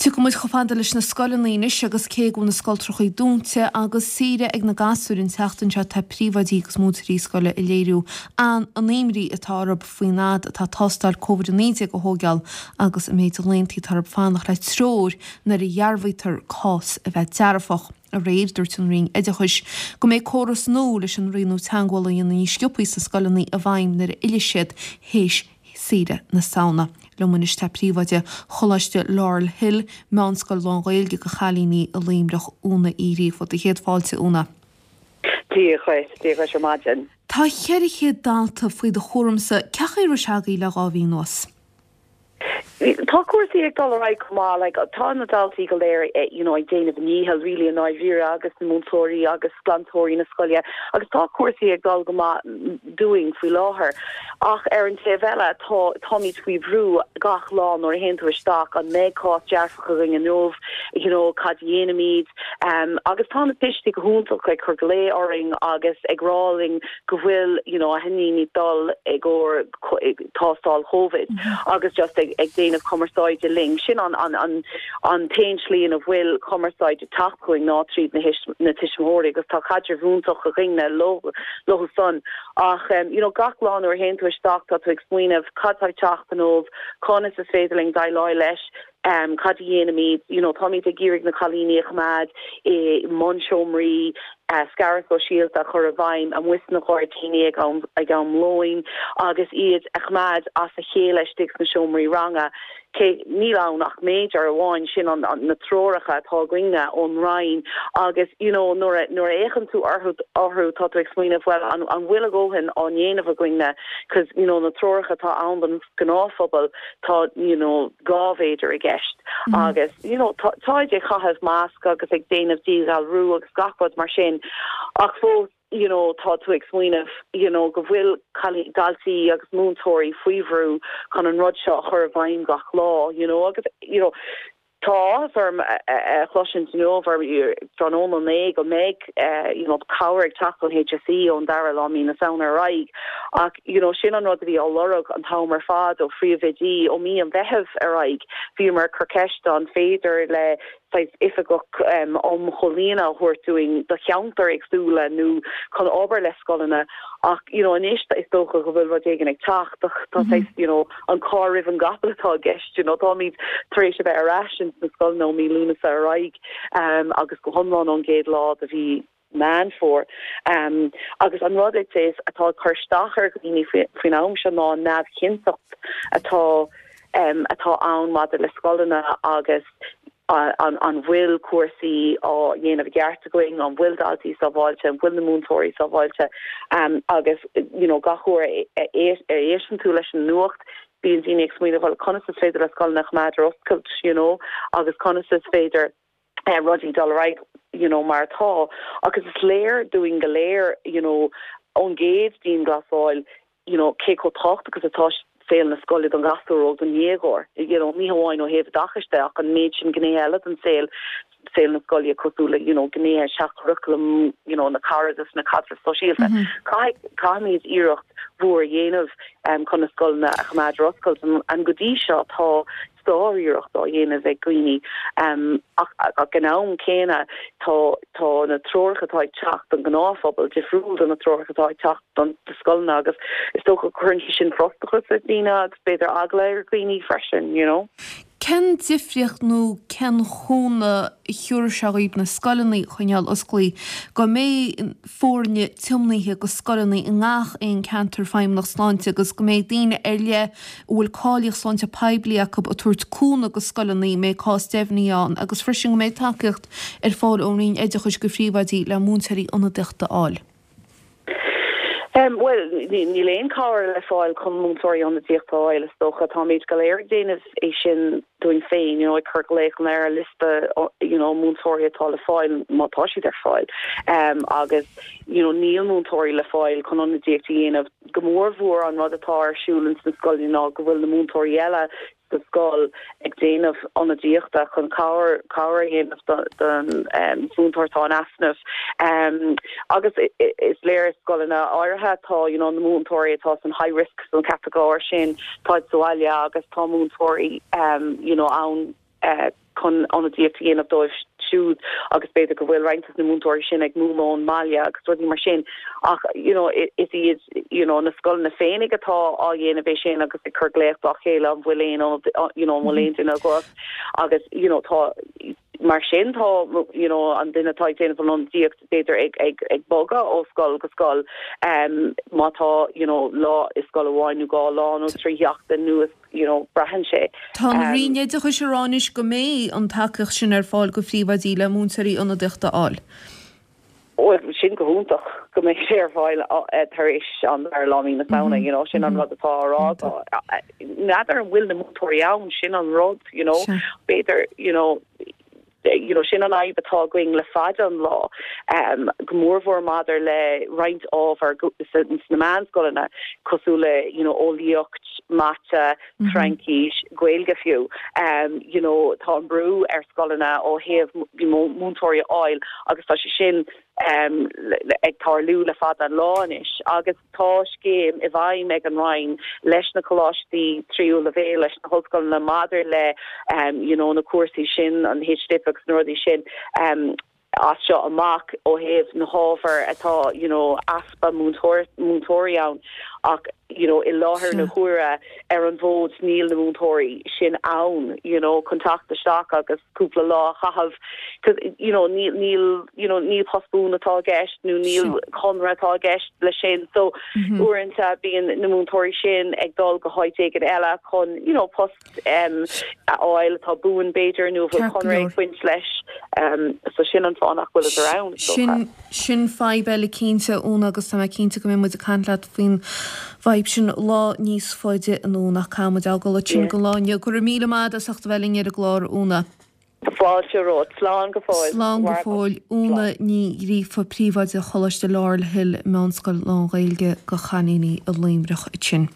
Tiocfaidh muid chomh fada leis na scoileanna anois agus cé go bhfuil na scoltrachaí dúnta agus saoire ag na gasúir an tseachtain seo tá príomhoidí agus múinteoirí scoile ag léiriú an imní atá orthu faoin fhad atá tástáil Covid-19 a thóigeáil agus an méid laethanta atá orthu fanacht le treoir nuair a dhearbhaítear cás a bheith dearfach. Aréir, dúirt an Roinn Oideachais go mbeidh córas nua leis an rianú teagmhála a dhéanamh níos sciobthaí sna scoileanna i bhfeidhm nuair a fhillfidh siad théis saoire na Samhna. Liom anois tá príomhoide Choláiste Laurel Hill, meánscoil lán-Ghaeilge do chailíní i Luimneach, Úna Uí Ghríofa. Do chéad fáilte, Úna. Dia dhuit, Dia dhuit ar maidin. Tá 400 dalta faoi do chúramsa. Cén chaoi a raibh sé agaibh le 2 mhí anuas? Tá cúrsaí ag dul ar aghaidh go maith, like tá na daltaí go léir you know ag déanamh a ndícheall really i ndáiríre agus na múinteoirí agus glantóirí na scoile agus tá cúrsaí ag dul go maith dúinn faoi láthair. Ach ar an taobh eile tá táimid faoi bhrú gach lá nuair a théann tú isteach an mbeidh cás dearfach againn inniu, you know cad a dhéanfaimid? Agus tá na tuistí go hiontach ag cur glao orainn agus ag rá linn go bhfuil you know a n-iníon ag dul i gcomhair tástáil Covid agus just ag ag déanamh cumarsáide linn. Sin an an an an t-aon tslí ina bhfuil cumarsáid ag teacht chugainn ná tríd na na tuismitheoirí agus tá caidreamh iontach againne leo leo san. Ach you know gach lá nuair a théann tú isteach tá tú ag smaoineamh cad tá ag teacht inniu, conas is féidir linn déileáil leis, cad a dhéanfaimid, you know táimid ag iarraidh na cailíní a choimeád i mbunseomraí, scaradh sóisialta a chur i bhfeidhm amuigh sna gairdíní ag am ag am lóin agus iad a choimeád as a chéile istigh sna seomraí ranga. Cé níl ann ach méadar amháin, sin an na treoracha atá againne ón Roinn agus you know nuair a nuair a fhéachann tú orthu orthu tá tú ag smaoineamh bhuel an an bhfuil a dhóthain á ndéanamh againne 'cause you know na treoracha atá ann don ghnáthphobal tá you know 2 mhéadar i gceist agus you know tá táid ag caitheamh masc agus ag déanamh díghalrú agus gach rud mar sin ach fós you know tá tú ag smaoineamh you know go bhfuil daltaí agus múinteoirí faoi bhrú chun an rud seo a chur i bhfeidhm gach lá you know agus you know Tá áthas orm a chloisint inniu ar tráthnóna inné go mbeidh you know cabhair ag teacht ón HSE ón dara lá mí na Samhna ar aghaidh ach you know sin an rud a bhí á lorg an t-am ar fad ó phríomhoidí ó mí an Mheithimh ar aghaidh. Bhíomar ag cur ceiste an féidir le saghas oifigeach um chomhlíonadh a thabhairt dúinn do cheantair éagsúla nó chun obair le scoileanna ach you know anois is dócha go bhfuil rud éigin ag teacht ach tá saghas you know an carr roimh an gcapall atá i gceist, you know, táimid tar éis a bheith ar ais ins na scoileanna ó mí Lúnasa ar aghaidh agus go hiomlán ón gcéad lá de mhí Meán Fómhair. Agus an rud is atá ag cur isteach ar dhaoine faoin am seo ná an neamhchinnteacht atá atá ann maidir le scoileanna agus an bhfuil cúrsaí á dhéanamh i gceart againn, an bhfuil daltaí sábháilte, an bhfuil na múinteoirí sábháilte agus you know gach uair a éisteann tú leis an nuacht bíonn daoine ag smaoineamh bhuel conas is féidir le scoileanna a choimeád ar oscailt you know agus conas is féidir rudaí dul ar aghaidh you know mar atá agus is léir dúinn go léir you know ón gcéad dianghlasáil you know, cé chomh tábhachtach is atá saol na scoile don ghasúr óg, don dhéagóir, you know, ní hamháin ó thaobh oideachais de ach an méid sin gnéithe eile den saol, saol na scoile cosúil le, you know, gnéithe seach-churaclaim, you know, na cairdeas, na caidrimh sóisialta. Caithfidh, caithfimid iarracht mhór a dhéanamh chun na scoileanna a choimeád ar oscailt and go dtí seo tá sár-iarracht á dhéanamh ag daoine ach ag an am céanna tá tá na treoracha atá ag teacht don ghnáthphobal difriúil do na treoracha atá ag teacht don do scoileanna agus is dócha go gcuireann sé sin frustrachas ar dhaoine agus b'fhéidir eagla ar dhaoine freisin, you know. Cén difríocht nó cén chúnamh a thiúrfaidh sé dhaoibh na scoileanna a choinneáil osclaí, go mbeidh foirne tiomnaithe go scoileanna i ngach aon ceantar Feidhmeannacht Sláinte agus go mbeidh daoine ar leith a bhfuil cáilíocht sláinte poiblí acu ag tabhairt cúnamh go scoileanna a mbeidh cás deimhnithe ann agus freisin go mbeidh tacaíocht ar fáil ón Roinn Oideachais go phríomhoidí le múinteoirí ionadaíochta a fháil. Bhuel, níl aon cabhair le fáil chun múinteoirí ionadaíochta a fháil, is dócha. Táimid go léir ag déanamh é sin dúinn féin, you know, ag cur glaochanna ar liosta, you know, múinteoirí atá le fáil, má tá siad ar fáil. Agus, you know, níl múinteoirí le fáil chun ionadaíocht a dhéanamh. Go mór mhór an rud atá ar siúl ins na scoileanna ná go bhfuil na múinteoirí eile sa scoil ag déanamh ionadaíochta chun cabhair cabhair a dhéanamh don mhúinteoir atá in easnamh. Agus is léir i scoileanna áirithe tá you know na múinteoirí atá san high risk san catagóir sin táid sa bhaile agus tá múinteoirí you know ann. chun ionadaíocht a dhéanamh dóibh siúd agus b'fhéidir go bhfuil roinnt de na múinteoirí sin ag múineadh ón mbaile agus rudaí mar sin ach you know is iad you know na scoileanna féinig atá á dhéanamh é sin agus ag cur glaoch dá chéile an bhfuil aon you know an bhfuil aon duine agat agus you know tá mar sin tá you know an duine atá ag déanamh an ionadaíocht b'fhéidir ag ag ag bogadh ó scoil go scoil um má tá you know lá i scoil amháin nó dhá lá nó trí sheachtain nó you know braitheann sé. Tá an Roinn Oideachais ag rá anois go mbeidh an tacaíocht sin ar fáil go phríomhoidí le múinteoirí ionadaíochta a fháil. Bhuel, sin go hiontach go mbeidh sé ar fáil tar éis an dara lá mí na Samhna, you know, sin an rud atá á rá. N'fheadar an bhfuil na múinteoirí ann, sin an rud, you know, b'fhéidir, you know, you know, sin an fhadhb atá againn le fada an lá, go mórmhór maidir le roinnt ábhar sna meánscoileanna, cosúil le, you know, eolaíocht, mata, Fraincis, Gaeilge fiú. You know, tá an brú ar scoileanna ó thaobh múinteoirí a fháil agus tá sé sin ag tarlú le fada an lá anois agus tá scéim i bhfeidhm ag an Roinn leis na coláistí tríú leibhéal, leis na hollscoileanna maidir le you know na cúrsaí sin, an HDip agus na rudaí sin as seo amach ó thaobh na hábhair atá you know easpa múinteoirí ann ach you know i láthair na huaire ar an bhfód níl na múinteoirí sin ann you know chun teacht isteach agus cúpla lá a chaitheamh cause you know níl níl you know ní post buan atá i gceist nó níl conradh atá i gceist leis sin so uaireanta bíonn na múinteoirí sin ag dul go háit éigin eile chun you know post a fháil atá buan b'fhéidir nó a bhfuil conradh ag baint leis. So sin an fáth nach bhfuileadar ann, is dócha. Sin fadhb eile cinnte, Úna, agus tá mé cinnte go mbeidh muid ag caint leat faoin bhfadhb sin lá níos faide anonn ach caithfidh muid fhágáil ansin don lá inniu. Go raibh míle maith agat as ucht a bheith linn ar an gclár, Úna. Fáilte romhat. Slán go fóill. Slán go fóill. Úna Ní Ghríofa, Príomhoide Choláiste Laurel Hill, Meánscoil lán-Ghaeilge do chailíní i Luimneach ansin.